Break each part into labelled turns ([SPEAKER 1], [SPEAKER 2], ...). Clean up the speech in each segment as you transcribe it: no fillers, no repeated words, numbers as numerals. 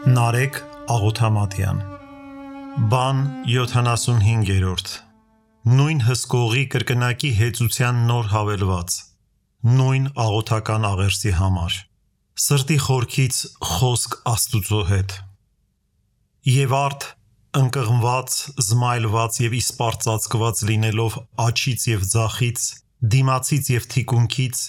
[SPEAKER 1] Նարեկ Աղոթամատյան Բան 75-րդ Նույն հսկողի կրկնակի հեծության նոր հավելված Նույն աղոթական աղերսի համար Սրտի խորքից խոսք Աստուծո հետ Եվ արդ ընկղմված, զմայլված և իսպառծածկված լինելով աջից և ձախից, դիմացից և թիկունքից,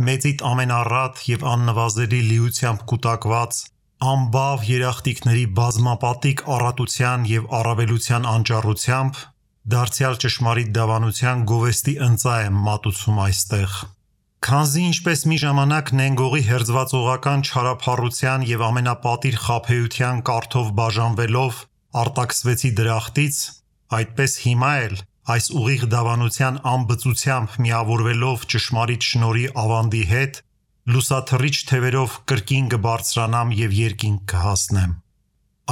[SPEAKER 1] մեծիդ ամենառատ և աննվազելի լիությամբ կուտակված, անբավ երախտիկների բազմապատիկ առատության և առավելության անճառությամբ, դարձյալ ճշմարիտ դավանության գովեստի ընծա եմ մատուցում այստեղ։ Քանզի ինչպես մի ժամանակ նենգողի հերձվածողական չարափառության և ամենապատիվ խաբեության կառթով բաժանվելով արտաքսվեցի դրախտից, այդպես հիմա էլ այս ուղիղ դավանության անբծությամբ միավորվելով ճշմարիտ շնորհի ավանդի հետ, լուսաթռիչ թևերով կրկին կբարձրանամ և երկինք կհասնեմ։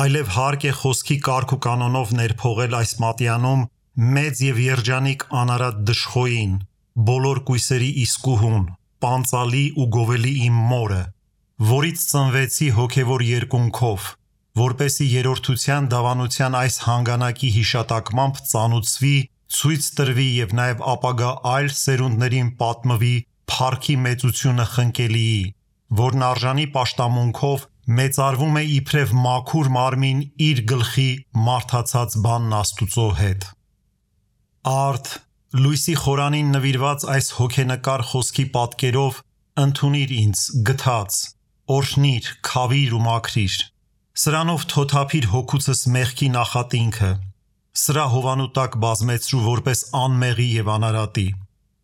[SPEAKER 1] Այլև հարկ է խոսքի կարգ ու կանոնով ներփողել այս մատյանում մեծ և երջանիկ անարատ դժխոյին, բոլոր կույսերի իսկուհուն, պանծալի ու գովելի իմ մորը, որից ծնվեցի հոգևոր երկունքով, որպեսզի երրորդության դավանության այս հանգանակի հիշատակմամբ ծանուցվի, ցույց տրվի և նաև ապագա այլ սերունդներին պատմվի փառքի մեծությունը խնկելիի, որն արժանի պաշտամունքով մեծարվում է իբրև մաքուր մարմին իր գլխի մարդացած բանն Աստուծո հետ։ Արդ լույսի խորանին նվիրված այս հոգենկար խոսքի պատկերով ընդունիր ինձ գթած, օրհնիր, քավիր ու մաքրիր, սրանով թոթափիր հոգուցս մեղքի նախատինքը, սրա հովանու տակ բազմեցրու որպես անմեղի և անարատի,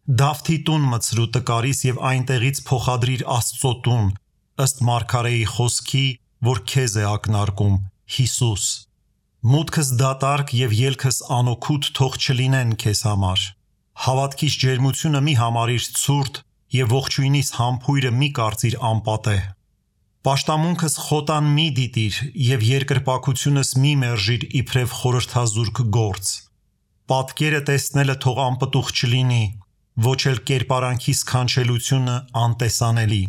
[SPEAKER 1] Դավթի տուն մտցրու տկարիս և այնտեղից փոխադրիր Աստծո տուն, ըստ մարգարեի խոսքի, որ քեզ է ակնարկում, Հիսուս, մուտքս դատարկ և ելքս անօգուտ թող չլինեն քեզ համար, հավատքիս ջերմությունը մի համարիր ցուրտ և ողջույնիս համբույրը մի կարծիր անպատեհ, պաշտամունքս խոտան մի դիտիր և երկրպագությունս մի մերժիր իբրև խորհրդազուրկ գործ, պատկերը տեսնելը թող անպտուղ չլինի, ոչ էլ կերպարանքի սքանչելությունը անտեսանելի,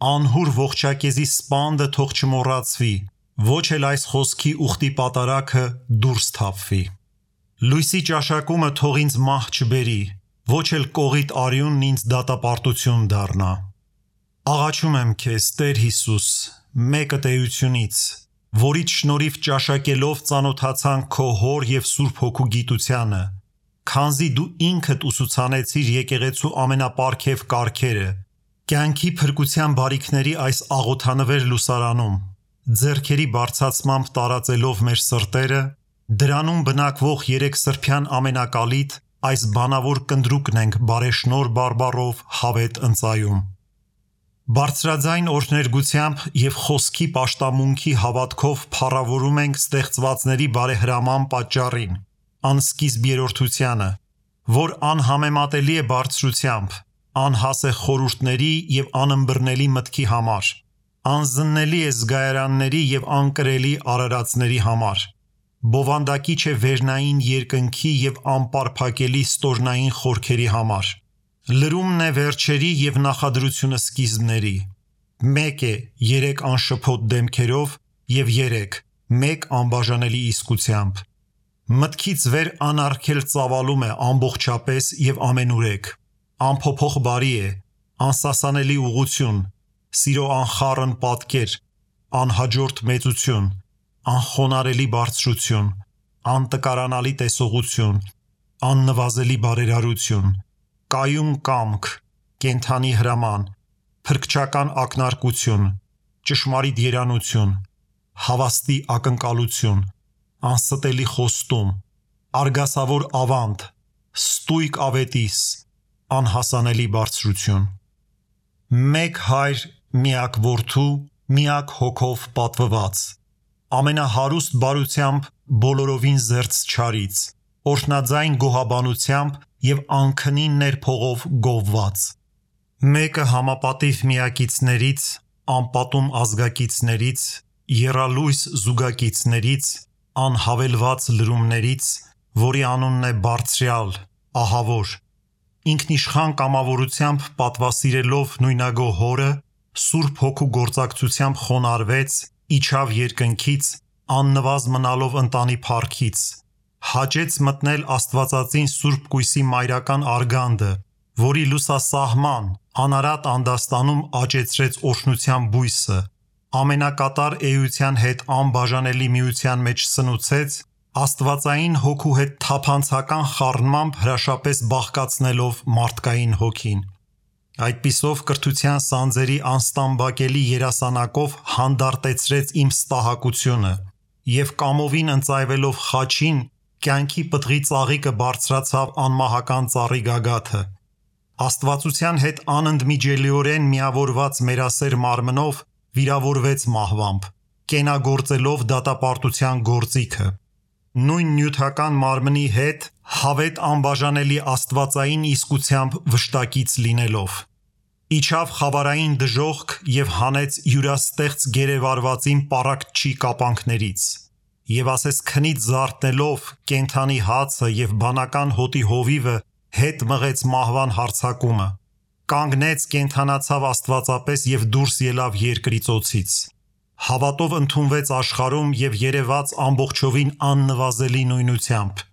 [SPEAKER 1] անհուր ողջակեզի սպանդը թող չմոռացվի, ոչ էլ այս խոսքի ուխտի պատարագը դուրս թափվի, լույսի ճաշակումը թող ինձ մահ չբերի, ոչ էլ կողիտ արյունն ինձ դատապարտություն դառնա, աղաչում եմ քեզ Տեր Հիսուս, մեկդ էությունից, որից շնորհիվ ճաշակելով ծանոթացանք քո հոր և Սուրբ Հոգու գիտությանը, քանզի դու ինքդ ուսուցանեցիր եկեղեցու ամենապարգև կարգերը, կյանքի փրկության բարիքների այս աղոթանվեր լուսարանում, ձեռքերի բարձրացմամբ տարածելով մեր սրտերը, դրանում բնակվող երեքսրբյան ամենակալիտ այս բանավոր կնդրուկն ենք բարեշնորհ բարբառով հավետ ընծայում։ Բարձրաձայն օրհներգությամբ և խոսքի պաշտամունքի հավատքով փառավորում ենք ստեղծվածների բարեհրաման պատճառին, անսկիզբ երրորդությանը, որ անհամեմատելի է բարձրությամբ, անհաս է խորհուրդների և անըմբռնելի մտքի համար, անզննելի է զգայարանների և անկրելի արարածների համար, բովանդակիչ է վերնային երկնքի և անպարփակելի ստորնային խորքերի համար, լրումն է վերջերի և նախադրությունը սկիզբների, մեկ է երեք անշփոթ դեմքերով և երեք, մեկ անբաժանելի իսկությամբ, մտքից վեր անարգել ծավալում է ամբողջապես և ամենուրեք, անփոփոխ բարի է, անսասանելի ուղղություն, սիրո անխառն պատկեր, անհաջորդ մեծություն, անխոնարհելի բարձրություն, անտկարանալի տեսողություն, աննվազելի բարերարություն, կայուն կամք, կենդանի հրաման, փրկչական ակնարկություն, ճշմարիտ երանություն, հավաստի ակնկալություն, անստելի խոստում, արգասավոր ավանդ, ստույգ ավետիս, անհասանելի բարձրություն, մեկ Հայր, միակ Որդու, միակ Հոգով պատվված, ամենահարուստ բարությամբ բոլորովին զերծ չարից, օրհնաձայն գոհաբանությամբ և անքնի ներփողով գովված, մեկը համապատիվ միակիցներից, անպատում ազգակիցներից, եռալույս զուգակիցներից, անհավելված լրումներից, որի անունն է Բարձրյալ, Ահավոր, ինքնիշխան կամավորությամբ պատվասիրելով նույնագո Հորը, Սուրբ Հոգու գործակցությամբ խոնարհվեց իջավ երկնքից, աննվազ մնալով ընտանի փառքից, հաճեց մտնել Աստվածածին Սուրբ Կույսի մայրական արգանդը, որի լուսասահման, անարատ անդաստանում աճեցրեց օրհնության բույսը, ամենակատար էության հետ անբաժանելի միության մեջ սնուցեց, Աստվածային հոգու հետ թափանցական խառնմամբ հրաշապես բաղկացնելով մարդկային հոգին։ Այդպիսով կրթության սանձերի անստամբակելի երասանակով հանդարտեցրեց իմ ստահակությունը և կամովին ընծայվելով խաչին կյանքի պտղի ծաղիկը բարձրացավ անմահական ծառի գագաթը։ Աստվածության հետ անընդմիջելիորեն միավորված մերասեր մարմնով վիրավորվեց մահվամբ, կենագործելով դատապարտության գործիքը։ Նույն նյութական մարմնի հետ հավետ անբաժանելի աստվածային իսկությամբ վշտակից լինելով։ Իջավ խավարային դժոխք և հանեց յուրաստեղծ գերեվարվածին պառակտչի կապանքներից, և ասես քնից զարթնելով կենդանի հացը և բանական հոտի հովիվը հետ մղեց մահվան հարձակումը, կանգնեց կենդանացավ աստվածապես և դուրս ելավ երկրի ծոցից, հավատով ընդունվեց աշխարհում և երևաց ամբողջովին աննվազելի նույնությամբ,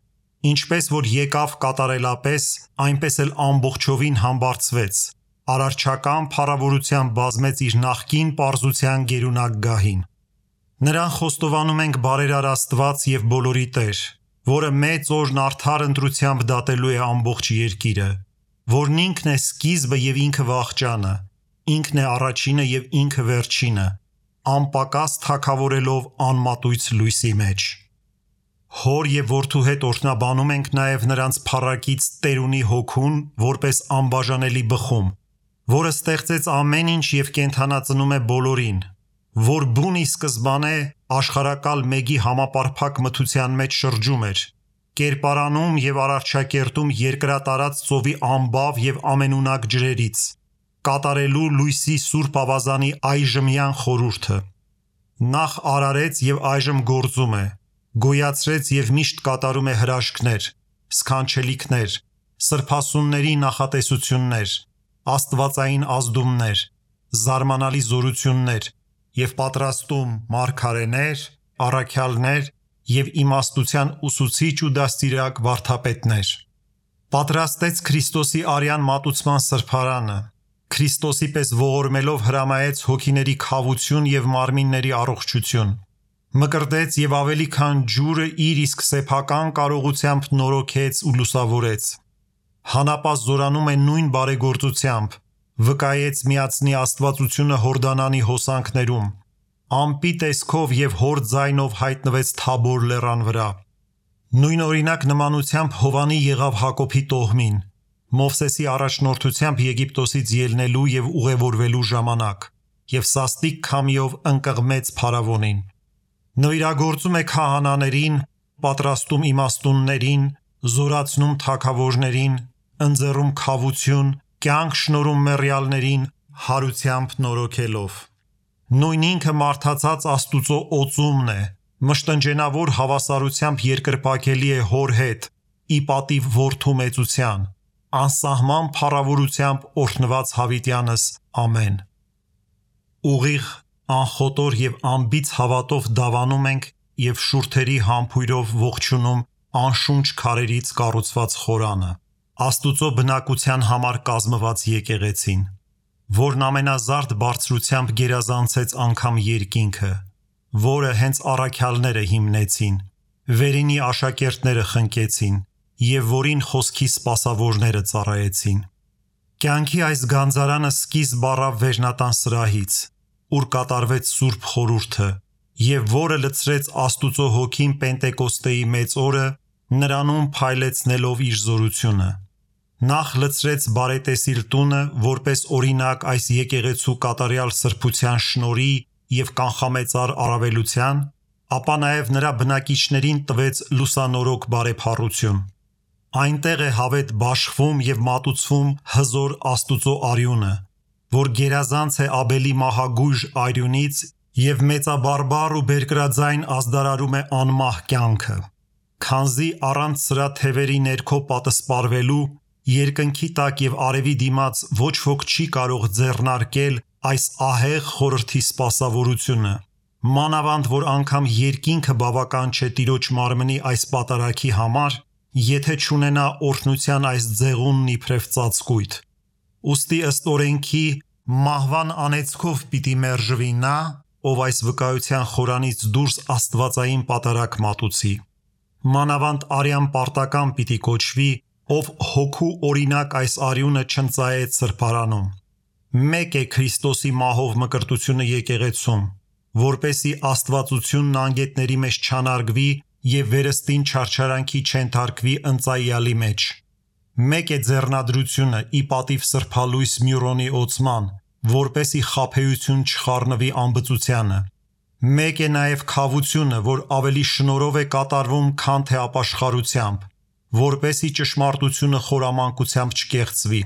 [SPEAKER 1] ինչպես որ եկավ կատարելապես, այնպես էլ ամբողջովին համբարձվեց, արարչական փառավորությամբ բազմեց իր նախկին պարզության գերունակ գահին։ Նրան խոստովանում ենք բարերար Աստված և բոլորի Տեր, որը մեծ օրն արդար ընտրությամբ դատելու է ամբողջ երկիրը, որն ինքն է սկիզբը և ինքը վախճանը, ինքն է առաջինը և ինքը վերջինը, անպակաս թագավորելով անմատույց լույսի մեջ։ Հոր և որդու հետ օրհնաբանում ենք նաև նրանց փառակից Տերունի Հոգուն որպես անբաժանելի բխում, որը ստեղծեց ամեն ինչ և կենդանածնում է բոլորին, որ բուն ի սկզբանե աշխարհակալ մեկի համապարփակ մթության մեջ շրջում էր, կերպարանում և արարչակերտում երկրատարած ծովի ամբավ և ամենունակ ջրերից, կատարելու լույսի սուրբ ավազանի այժմյան խորհուրդը։ Նախ արարեց և այժմ գործում է, գոյացրեց և միշտ կատարում է հրաշքներ, սքանչելիքներ, սրբասունների նախատեսություններ, աստվածային ազդումներ, զարմանալի զորություններ և պատրաստում մարգարեներ, առաքյալներ և իմաստության ուսուցիչ ու դաստիարակ վարդապետներ։ Պատրաստեց Քրիստոսի արյան մատուցման սրբարանը, Քրիստոսի պես ողորմելով հրամայեց հոգիների քավություն և մարմինների առողջություն, մկրտեց և ավելի քան ջուրը իր իսկ սեփական կարողությամբ նորոգեց ու լուսավորեց, հանապազտ զորանում է նույն բարեգործությամբ, վկայեց միածնի աստվածությունը Հորդանանի հոսանքներում, ամպի տեսքով և հոր ձայնով հայտնվեց Թաբոր լեռան վրա։ Նույն օրինակ նմանությամբ Հովանի եղավ Հակոբի տոհմին, Մովսեսի առաջնորդությամբ Եգիպտոսից ելնելու և ուղևորվելու ժամանակ, և սաստիկ քամիով ընկղմեց փարավոնին։ Նվիրագործում է քահանաներին, պատրաստում իմաստուններին, զորացնում թագավորներին, ընձեռում քավություն, կյանք շնորհում մեռյալներին, հարությամբ նորոգելով։ Նույն ինքը մարդացած Աստուծո օծումն է, մշտնջենավոր հավասարությամբ երկրպագելի է Հոր հետ, ի պատիվ Որդու մեծության, անսահման փառավորությամբ օրհնված հավիտյանս, ամեն։ Ուղիղ, անխոտոր և անբիծ հավատով դավանում ենք և շուրթերի համբույրով ողջունում անշունչ քարերից կառուցված խորանը, Աստուծո բնակության համար կազմված եկեղեցին, որն ամենազարդ բարձրությամբ գերազանցեց անգամ երկինքը, որը հենց առաքյալները հիմնեցին, վերինի աշակերտները խնկեցին և որին խոսքի սպասավորները ծառայեցին։ Կյանքի այս գանձարանը սկիզբ առավ վերնատան սրահից, ուր կատարվեց Սուրբ Խորհուրդը, և որը լցրեց Աստուծո Հոգին Պենտեկոստեի մեծ օրը, նրանում փայլեցնելով իր զորությունը։ Նախ լցրեց բարետեսիլ տունը որպես օրինակ այս եկեղեցու կատարյալ սրբության շնորհի և կանխամեծար առավելության, ապա նաև նրա բնակիչներին տվեց լուսանորոգ բարեփառություն։ Այնտեղ է հավետ բաշխվում և մատուցվում հզոր Աստուծո արյունը, որ գերազանց է Աբելի մահագույժ արյունից և մեծաբարբար ու բերկրաձայն ազդարարում է անմահ կյանքը, քանզի առանց սրա թևերի ներքո պատսպարվելու, երկնքի տակ և արևի դիմաց ոչ ոք չի կարող ձեռնարկել այս ահեղ խորհրդի սպասավորությունը, մանավանդ որ անգամ երկինքը բավական չէ տիրոջ մարմնի այս պատարագի համար, եթե չունենա օրհնության այս ձեղունն իբրև ծածկույթ։ Ուստի ըստ օրենքի մահվան անեծքով պիտի մերժվի նա, ով այս վկայության խորանից դուրս աստվածային պատարագ մատուցի։ Մանավանդ արյան պարտական պիտի կոչվի, ով հոգու օրինակ այս արյունը չընծայեց սրբարանում։ Մեկ է Քրիստոսի մահով մկրտությունը եկեղեցում, որպեսի աստվածությունն անգետների մեջ չանարգվի և վերստին չարչարանքի չենթարկվի ընծայյալի մեջ։ Մեկ է ձեռնադրությունը ի պատիվ սրբալույս Մյուրոնի օծման, որպեսի խաբեություն չխառնվի անբծությանը։ Մեկ է նաև քավությունը, որ ավելի շնորհով է կատարվում, քան թե ապաշխարությամբ, որպեսի ճշմարտությունը խորամանկությամբ չկեղծվի։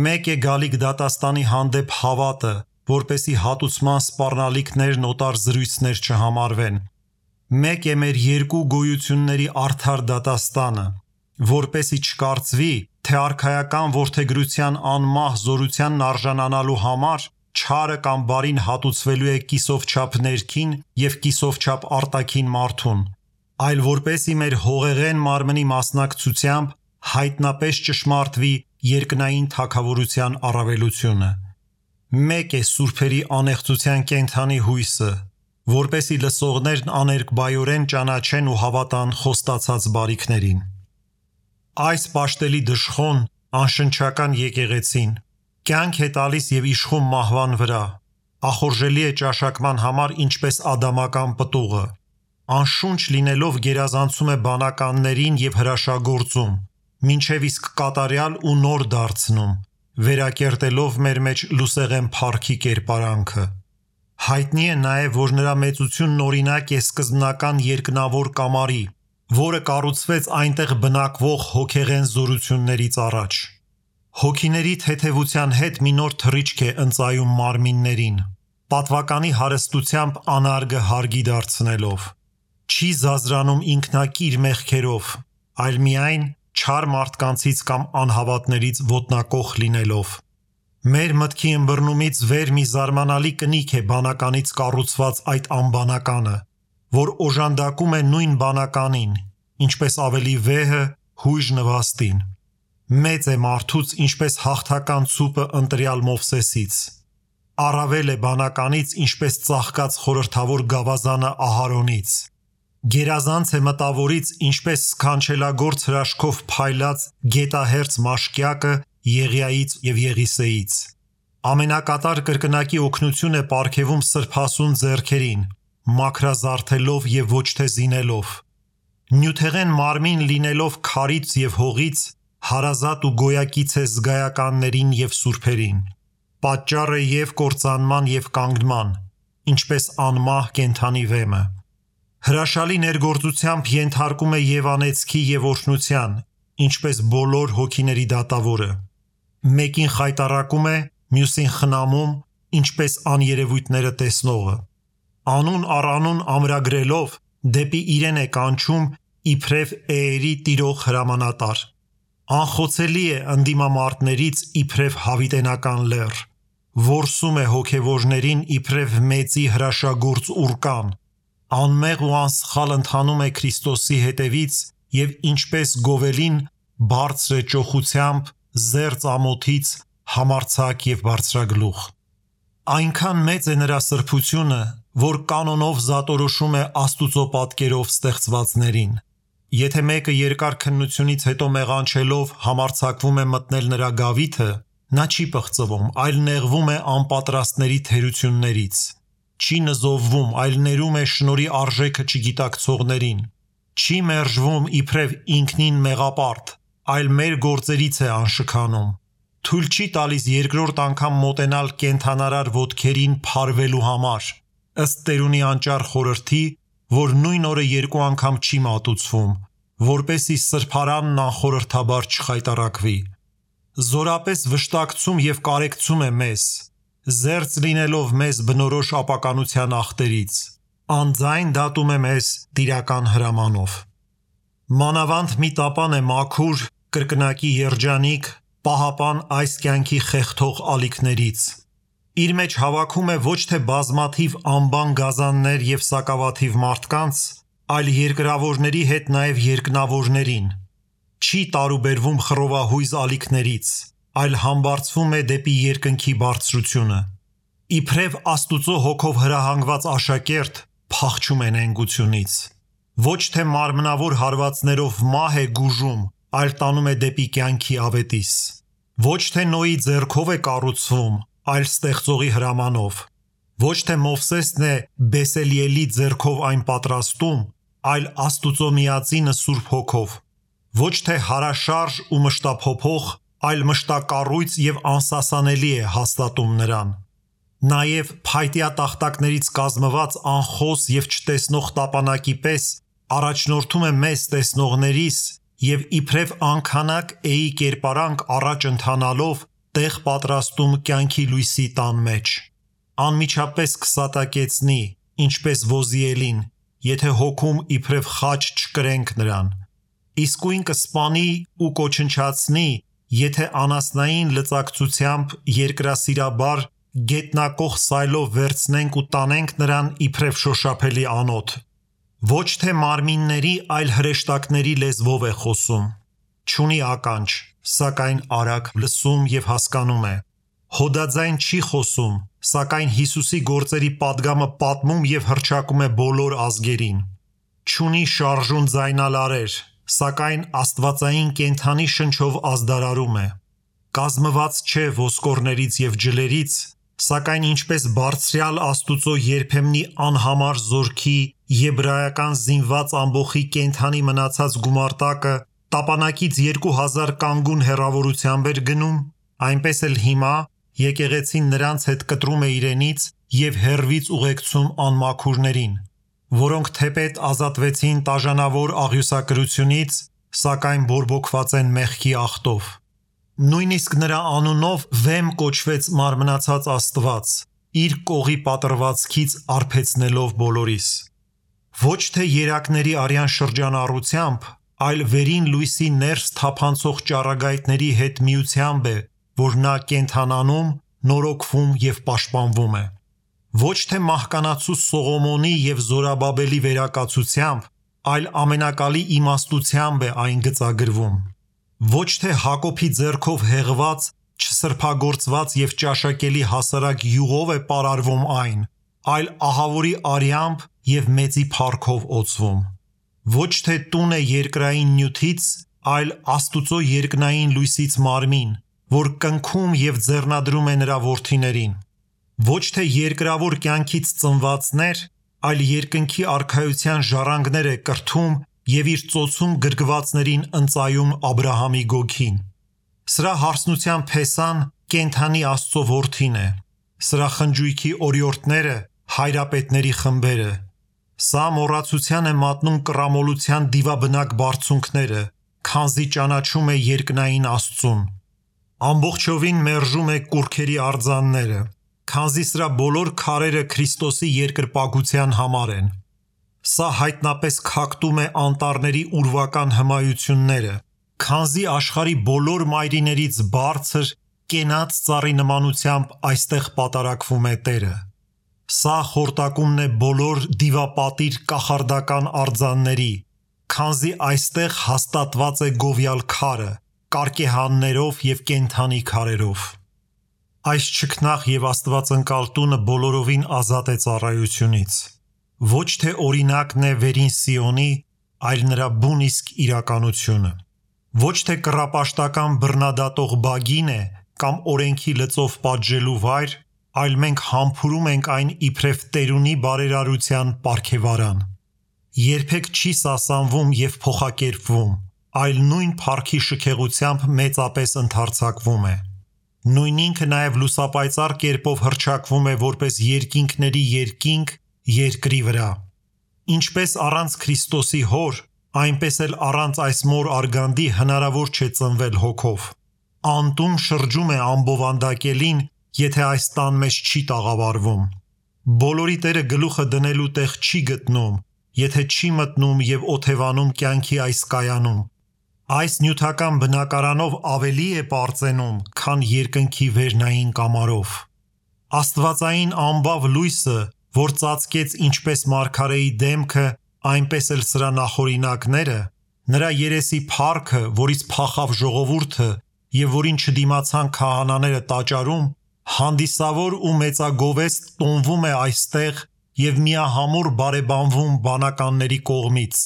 [SPEAKER 1] Մեկ է գալիք դատաստանի հանդեպ հավատը, որպեսի հատուցման սպառնալիքներն օտար զրույցներ չհամարվեն։ Մեկ է մեր երկու գոյությունների արդար դատաստանը, որպեսի չկարծվի, թե արքայական որդեգրության անմահ զորությանն արժանանալու համար չարը կամ բարին հատուցվելու է կիսով չափ ներքին և կիսով չափ արտաքին մարդուն, այլ որպեսի մեր հողեղեն մարմնի մասնակցությամբ հայտնապես ճշմարտվի երկնային թագավորության առավելությունը։ Մեկ է սուրբերի անեղծության կենդանի հույսը, որպեսի լսողներն աներկբայորեն ճանաչեն ու հավատան խոստացած բարիքներին։ Այս պաշտելի դժխոն, անշնչական եկեղեցին, կյանք է տալիս և իշխում մահվան վրա, ախորժելի է ճաշակման համար ինչպես ադամական պտուղը, անշունչ լինելով գերազանցում է բանականներին և հրաշագործում, մինչև իսկ կատարյալ ու նոր դարձնում, վերակերտելով մեր մեջ լուսեղեն փառքի կերպարանքը։ Հայտնի է նաև, որ նրա մեծությունն օրինակ է սկզբնական երկնավոր կամարի, որը կառուցվեց այնտեղ բնակվող հոգեղեն զորություններից առաջ։ Հոգիների թեթևության հետ մի նոր թռիչք է ընծայում մարմիններին, պատվականի հարստությամբ անարգը հարգի դարձնելով։ Չի զազրանում ինքնակիր մեղքերով, այլ միայն չար մարդկանցից կամ անհավատներից ոտնակոխ լինելով։ Մեր մտքի ըմբռնումից վեր մի զարմանալի կնիք է բանականից կառուցված այդ անբանականը, որ օժանդակում է նույն բանականին, ինչպես ավելի վեհը հույժ նվաստին։ Մեծ է մարդուց, ինչպես հաղթական ցուպը ընտրյալ Մովսեսից։ Առավել է բանականից, ինչպես ծաղկած խորհրդավոր գավազանը Ահարոնից։ Գերազանց է մտավորից, ինչպես սքանչելագործ հրաշքով փայլած գետահերձ մաշկյակը Եղիայից և Եղիսեից։ Ամենակատար կրկնակի օգնություն է պարգևում սրբասուն ձեռքերին, մաքրազարդելով և ոչ թե զինելով։ Նյութեղեն մարմին լինելով քարից և հողից, հարազատ ու գոյակից է զգայականներին և սուրբերին։ Պատճառ է և կործանման և կանգնման, ինչպես անմահ կենդանի վեմը։ Հրաշալի ներգործությամբ ենթարկում է և անեծքի և օրհնության, ինչպես բոլոր հոգիների դատավորը։ Մեկին խայտառակում է, մյուսին խնամում, ինչպես աներևույթները տեսնողը։ Անուն առ անուն ամրագրելով դեպի իրեն է կանչում իբրև էերի տիրող հրամանատար։ Անխոցելի է ընդդիմամարտներից իբրև հավիտենական լեռ, որսում է հոգևորներին իբրև մեծի հրաշագործ ուռկան, անմեղ ու անսխալ ընթանում է Քրիստոսի հետևից և ինչպես գովելին բարձր է ճոխությամբ, զերծ ամոթից, համարձակ և բարձրագլուխ։ Այնքան մեծ է նրա սրբությունը, որ կանոնով զատորոշում է Աստուծո պատկերով ստեղծվածներին։ Եթե մեկը երկար քննությունից հետո մեղանչելով համարձակվում է մտնել նրա գավիթը, նա չի պղծվում, այլ նեղվում է անպատրաստների թերություններից։ Չի նզովվում, այլ ներում է շնորհի արժեքը չգիտակցողներին։ Չի մերժվում իբրև ինքնին մեղապարտ, այլ մեր գործերից է անշքանում։ Թույլ չի տալիս երկրորդ անգամ մոտենալ կենդանարար ոտքերին փարվելու համար, ըստ Տերունի անճառ խորհրդի, որ նույն օրը երկու անգամ չի մատուցվում, որպեսզի սրբարանն անխորհրդաբար չխայտառակվի։ Զորապես վշտակցում և կարեկցում է մեզ, զերծ լինելով մեզ բնորոշ ապականության ախտերից, անձայն դատում է մեզ տիրական հրամանով։ Մանավանդ մի տապան է մաքուր, կրկնակի երջանիկ, պահապան այս կյանքի խեղդող ալիքներից։ Իր մեջ հավաքում է ոչ թե բազմաթիվ անբան գազաններ և սակավաթիվ մարդկանց, այլ երկրավորների հետ նաև երկնավորներին, չի տարուբերվում խռովահույզ ալիքներից, այլ համբարձվում է դեպի երկնքի բարձրությունը։ Իբրև Աստուծո հոգով հրահանգված աշակերտ փախչում է նենգությունից։ Ոչ թե մարմնավոր հարվածներով մահ է գուժում, այլ տանում է դեպի կյանքի ավետիս։ Ոչ թե Նոյի ձեռքով է կառուցվում, այլ ստեղծողի հրամանով։ Ոչ թե Մովսեսն է Բեսելիելի ձեռքով այն պատրաստում, այլ Աստուծո միածինը Սուրբ Հոգով։ Ոչ թե հարաշարժ ու մշտափոփող, այլ մշտակառույց և անսասանելի է հաստատում նրան։ Նաև փայտյա տախտակներից կազմված անխոս և չտեսնող տապանակի պես առաջնորդում է մեզ տեսնողներիս և իբրև անքանակ էի կերպարանք առաջ ընթանալով տեղ պատրաստում կյանքի լույսի տան մեջ։ Անմիջապես կսատակեցնի, ինչպես Ոզիելին, եթե հոգում իբրև խաչ չկրենք նրան։ Իսկույն կսպանի ու կոչնչացնի, եթե անասնային լծակցությամբ երկրասիրաբար գետնակող սայլով վերցնենք ու տանենք նրան իբրև շոշափելի անոթ։ Ոչ թե մարմինների, այլ հրեշտակների լեզվով է խոսում։ Չունի ականջ, սակայն արագ լսում և հասկանում է։ Հոդաձայն չի խոսում, սակայն Հիսուսի գործերի պատգամը պատմում և հռչակում է բոլոր ազգերին։ Չունի շարժուն ձայնալարեր, սակայն աստվածային կենդանի շնչով ազդարարում է։ Կազմված չէ ոսկորներից և ջլերից, սակայն ինչպես բարձրյալ Աստուծո երբեմնի անհամար զորքի եբրայական զինված ամբոխի կենդանի մնացած գումարտակը տապանակից 2000 կանգուն հեռավորությամբ էր գնում, այնպես էլ հիմա եկեղեցին նրանց հետ կտրում է իրենից և հեռվից ուղեկցում անմաքուրներին, որոնք թեպետ ազատվեցին տաժանավոր աղյուսակրությունից, սակայն բորբոքված են մեղքի աղտով։ Նույնիսկ նրա անունով վեմ կոչվեց մարմնացած Աստված, իր կողի պատրվածքից արբեցնելով բոլորիս։ Ոչ թե երակների արյան շրջանառությամբ, այլ վերին լույսի ներս թափանցող ճառագայթների հետ միությամբ է, որ նա կենդանանում, նորոգվում և պաշտպանվում է։ Ոչ թե մահկանացու Սողոմոնի և Զորաբաբելի վերակացությամբ, այլ ամենակալի իմաստությամբ է այն գծագրվում։ Ոչ թե Հակոբի ձեռքով հեղված, չսրբագործված և ճաշակելի հասարակ յուղով է պարարվում այն, այլ ահավորի արյամբ և մեծի փառքով օծվում։ Ոչ թե տուն է երկրային նյութից, այլ Աստուծո երկնային լույսից մարմին, որ կնքում և ձեռնադրում է նրա որդիներին։ Ոչ թե երկրավոր կյանքից ծնվածներ, այլ երկնքի արքայության ժառանգներ է կրթում և իր ծոցում գրգվածներին ընծայում Աբրահամի գոգին։ Սրա հարսնության փեսան կենդանի Աստծո որդին է։ Սրա խնջույքի օրիորդները հայրապետների խմբերը։ Սա մոռացության է մատնում կռամոլության դիվաբնակ բարձունքները, քանզի ճանաչում է երկնային Աստծուն։ Ամբողջովին մերժում է կուռքերի արձանները, քանզի սրա բոլոր քարերը Քրիստոսի երկրպագության համար են։ Սա հայտնապես քակտում է անտառների ուրվական հմայությունները, քանզի աշխարհի բոլոր մայրիներից բարձր կենաց ծառի նմանությամբ այստեղ պատարակվում է Տերը։ Սա խորտակումն է բոլոր դիվապատիր կախարդական արձանների, քանզի այստեղ հաստատված է գովյալ քարը, կարկեհաններով և կենդանի քարերով։ Այս չքնաղ և աստվածընկալ տունը բոլորովին ազատ է ծառայությունից։ Ոչ թե օրինակն է վերին Սիոնի, այլ նրա բուն իսկ իրականությունը։ Ոչ թե կռապաշտական բռնադատող բագին է կամ օրենքի լծով պատժելու վայր, այլ մենք համբուրում ենք այն իբրև տերունի բարերարության պարգևարան։ Երբեք չի սասանվում և փոխակերպվում, այլ նույն փառքի շքեղությամբ մեծապես ընդարձակվում է։ Նույն ինքը նաև լուսապայծառ կերպով հռչակվում է որպես երկինքների երկինք երկրի վրա։ Ինչպես առանց Քրիստոսի հոր, այնպես էլ առանց այս մոր արգանդի հնարավոր չէ ծնվել հոգով։ Անտուն շրջում է ամբովանդակելին, եթե այս տան մեջ չի տաղավարվում։ Բոլորի Տերը գլուխը դնելու տեղ չի գտնում, եթե չի մտնում և օթևանում կյանքի այս կայանում։ Այս նյութական բնակարանով ավելի է պարծենում, քան երկնքի վերնային կամարով։ Աստվածային անբավ լույսը, որ ծածկեց ինչպես մարգարեի դեմքը, այնպես էլ սրա նախօրինակները, նրա երեսի փառքը, որից փախավ ժողովուրդը եւ որին չդիմացան քահանաները տաճարում, հանդիսավոր ու մեծագովեստ տոնվում է այստեղ եւ միահամուռ բարեբանվում բանականների կողմից,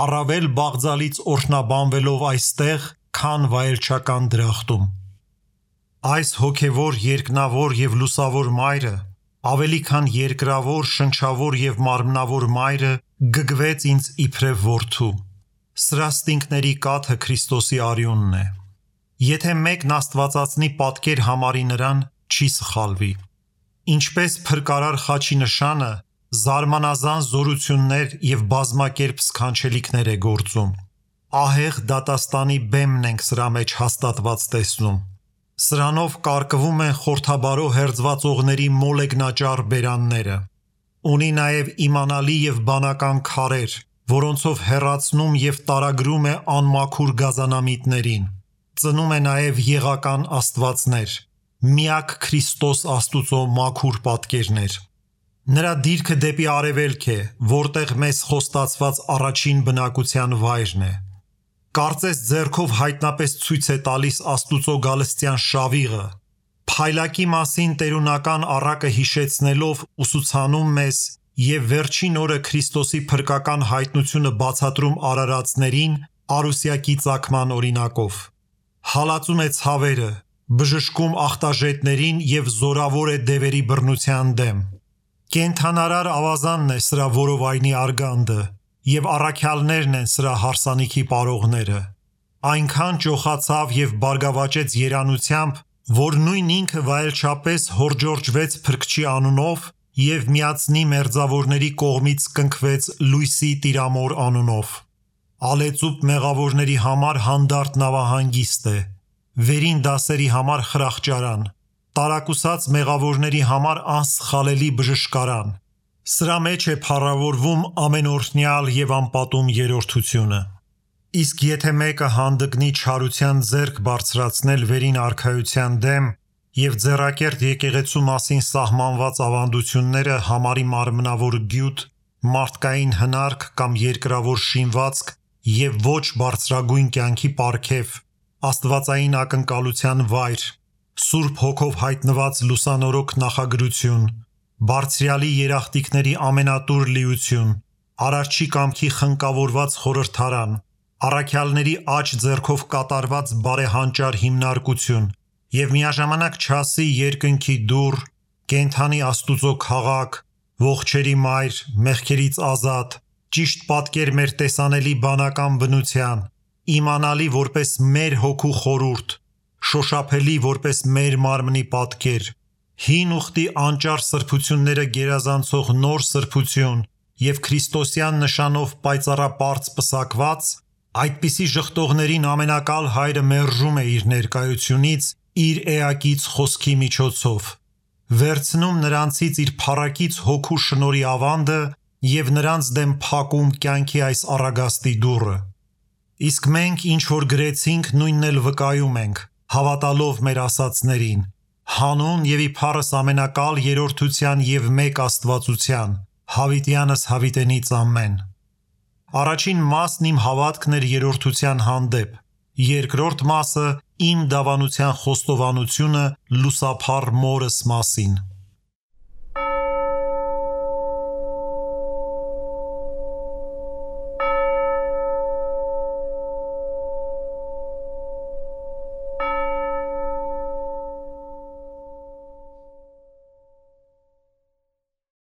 [SPEAKER 1] առավել բաղձալից օրհնաբանվելով այստեղ, քան վայելչական դրախտում։ Այս հոգևոր, երկնավոր եւ լուսավոր մայրը, ավելի քան երկրավոր, շնչավոր եւ մարմնավոր մայրը, գգվեց ինձ իբրև որդու։ Սրա ստինքների կաթը Քրիստոսի արյունն է։ Եթե մեկն աստվածածնի պատկեր համարի նրան, չի սխալվի։ Ինչպես փրկարար խաչի նշանը, զարմանազան զորություններ եւ բազմակերպ սքանչելիքներ է գործում։ Ահեղ դատաստանի բեմն ենք սրա մեջ հաստատված տեսնում։ Սրանով կարկվում են խորթաբարո հերձվածողների մոլեգնաճառ բերանները։ Ունի նաև իմանալի եւ բանական քարեր, որոնցով հեռացնում եւ տարագրում է անմաքուր գազանամիտներին։ Ծնում է նաև եղական աստվածներ, միակ Քրիստոս Աստուծո մաքուր պատկերներ։ Նրա դիրքը դեպի արևելք է, որտեղ մեզ խոստացված առաջին բնակության վայրն է։ Կարծես ձեռքով հայտնապես ցույց է տալիս Աստուծո գալստյան շավիղը, փայլակի մասին տերունական առակը հիշեցնելով ուսուցանում մեզ եւ վերջին օրը Քրիստոսի փրկական հայտնությունը բացատրում արարածներին արուսյակի ծագման օրինակով։ Հալածում է ցավերը, բժշկում ախտաժետներին եւ զորավոր է դևերի բռնության դեմ։ Կենթանարար ավազանն է սրա որովայնի արգանդը եւ առաքյալներն են սրա հարսանիքի պարողները։ Այնքան ճոխացավ եւ բարգավաճեց երանությամբ, որ նույն ինքը վայելչապես հորջորջվեց Փրկչի անունով եւ միացնի մերձավորների կողմից կնքվեց լույսի տիրամոր անունով։ Ալեծուպ մեղավորների համար հանդարտ նավահանգիստ է, վերին դասերի համար խրախճարան, տարակուսած մեղավորների համար անսխալելի բժշկարան։ Սրա մեջ է փառավորվում ամենօրհնյալ եւ անպատում երրորդությունը։ Իսկ եթե մեկը հանդգնի չարության ձեռք բարձրացնել վերին արքայության դեմ եւ ձեռակերտ եկեղեցու մասին սահմանված ավանդությունները համարի մարմնավոր գյուտ, մարդկային հնարք կամ երկրավոր շինվածք եւ ոչ բարձրագույն կյանքի պարգև, աստվածային ակնկալության վայր, Սուրբ Հոգով հայտնված լուսանորոք նախագրություն, բարձրյալի երախտիկների ամենատուր լիություն, արարչի կամքի խնկավորված խորհրդարան, առաքյալների աջ ձեռքով կատարված բարեհանճար հիմնարկություն եւ միաժամանակ չասի երկնքի դուռ, կենթանի Աստուծո քաղաք, ողջերի մայր, մեղքերից ազատ, ճիշտ պատկեր մեր տեսանելի բանական բնության, իմանալի որպես մեր հոգու խորուրդ, շոշափելի որպես մեր մարմնի պատկեր, հին ուխտի անճար սրբությունները գերազանցող նոր սրբություն եւ Քրիստոսյան նշանով պայծառապարծ պսակված, այդպիսի ժխտողներին ամենակալ հայրը մերժում է իր ներկայությունից իր էակից խոսքի միջոցով, վերցնում նրանցից իր փառակից հոգու շնորհի ավանդը եւ նրանց դեմ փակում կյանքի այս առագաստի դուռը։ Իսկ մենք ինչ որ գրեցինք, նույնն էլ վկայում ենք, հավատալով մեր ասածներին, հանուն եւ իբարս ամենակալ երրորդության եւ մեկ աստվածության, հավիտյանս հավիտենից ամեն։ Առաջին մասն իմ հավատքն էր երրորդության հանդեպ, երկրորդ մասը իմ դավանության խոստովանությունը լուսափառ մորս մասին։